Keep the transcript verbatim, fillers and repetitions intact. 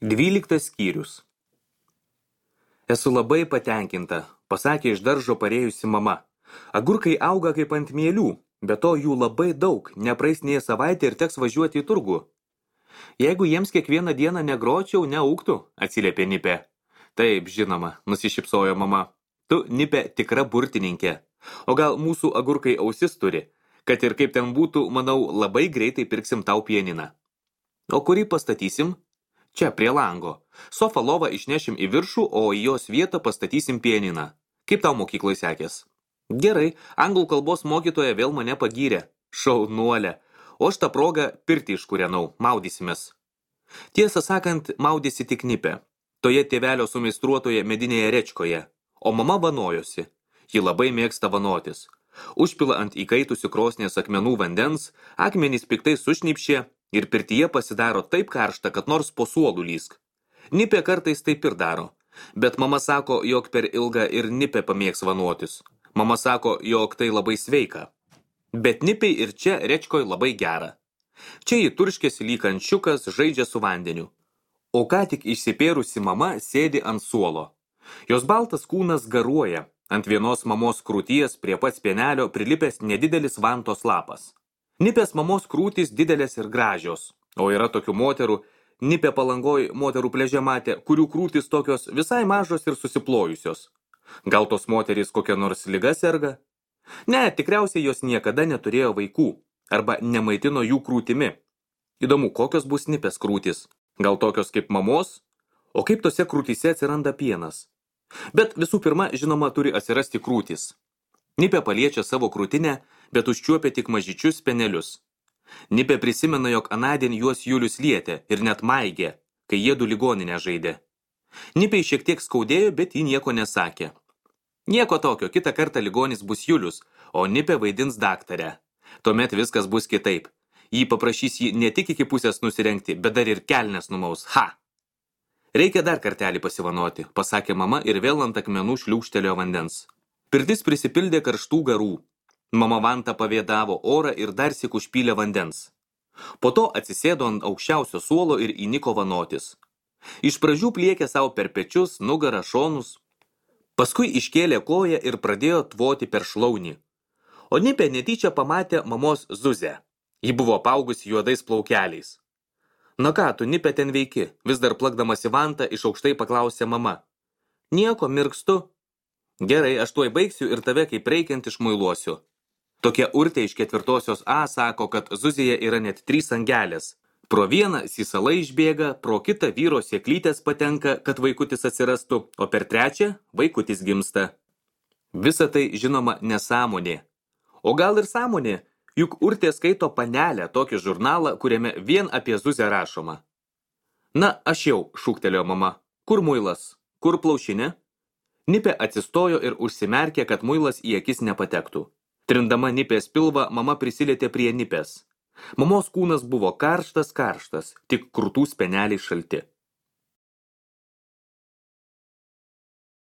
Dvyliktas skyrius. Esu labai patenkinta, pasakė iš daržo parėjusi mama. Agurkai auga kaip ant mielių, be to jų labai daug, nepraeis nė savaitę ir teks važiuoti į turgų. Jeigu jiems kiekvieną dieną negročiau, neaugtų, atsiliepė Nipė. Taip, žinoma, nusišypsojo mama. Tu, Nipė, tikra burtininkė. O gal mūsų agurkai ausis turi, kad ir kaip ten būtų, manau, labai greitai pirksim tau pianiną. O kurį pastatysim? Čia, prie lango. Sofą lovą išnešim į viršų, o į jos vietą pastatysim pianiną. Kaip tau mokyklai sekės? Gerai, anglų kalbos mokytoja vėl mane pagyrė. Šaunuolė. O aš tą progą pirtį iškūrenau, maudysimės. Tiesą sakant, maudėsi tik Nipė. Toje tėvelio sumeistruotoje medinėje rečkoje. O mama vanojosi. Ji labai mėgsta vanotis. Užpila ant įkaitusių krosnės akmenų vandens, akmenys piktai sušnypšė ir pirtyje pasidaro taip karšta, kad nors po suolų lysk. Nipė kartais taip ir daro. Bet mama sako, jog per ilgą ir Nipė pamėgs vanotis. Mama sako, jog tai labai sveika. Bet Nipei ir čia rečkoj labai gera. Čia ji turškėsi lyg ančiukas, žaidžia su vandeniu. O ką tik išsipėrusi mama sėdi ant suolo. Jos baltas kūnas garuoja. Ant vienos mamos krūties prie pats pienelio prilipęs nedidelis vantos lapas. Nipės mamos krūtys didelės ir gražios, o yra tokių moterų, Nipė Palangoj moterų pliaže matė, kurių krūtys tokios visai mažos ir susiplojusios. Gal tos moterys kokia nors liga serga? Ne, tikriausiai jos niekada neturėjo vaikų, arba nemaitino jų krūtimi. Įdomu, kokios bus Nipės krūtys? Gal tokios kaip mamos? O kaip tose krūtyse atsiranda pienas? Bet visų pirma, žinoma, turi atsirasti krūtys. Nipė paliečia savo krūtinę, bet užčiuopia tik mažyčius penelius. Nipė prisimena, jog anadien juos Julius lietė ir net maigė, kai jiedu ligoninę žaidė. Nipei šiek tiek skaudėjo, bet ji nieko nesakė. Nieko tokio, kitą kartą ligonis bus Julius, o Nipė vaidins daktarę. Tuomet viskas bus kitaip. Jį paprašys jį ne tik iki pusės nusirengti, bet dar ir kelnes numaus. Ha! Reikia dar kartelį pasivanoti, pasakė mama ir vėl ant akmenų šliūkštelėjo vandens. Pirtis prisipildė karštų garų. Mama vantą pavėdavo orą ir dar syk užpylė vandens. Po to atsisėdo ant aukščiausio suolo ir įniko vanotis. Iš pradžių pliekė savo per pečius, nugarą, šonus. Paskui iškėlė koją ir pradėjo tvoti per šlaunį. O Nipė netyčia pamatė mamos Zuzę. Ji buvo apaugusi juodais plaukeliais. Na ką, tu, Nipė, ten veiki? Vis dar plakdamas į vantą iš aukštai paklausė mama. Nieko, mirkstu. Gerai, aš tuoj baigsiu ir tave kaip reikiant išmuiluosiu. Tokia urtė iš ketvirtosios A sako, kad Zuzėje yra net trys angelės. Pro vieną sysalai išbėga, pro kitą vyro sėklytės patenka, kad vaikutis atsirastų, o per trečią vaikutis gimsta. Visa tai, žinoma, nesąmonė. O gal ir sąmonė? Juk urtė skaito Panelę, tokį žurnalą, kuriame vien apie Zuzę rašoma. Na, aš jau, šūktelėjo mama. Kur muilas? Kur plaušinė? Nipė atsistojo ir užsimerkė, kad muilas į akis nepatektų. Trindama Nipės pilvą, mama prisilietė prie Nipės. Mamos kūnas buvo karštas, karštas, tik krūtų speneliai šalti.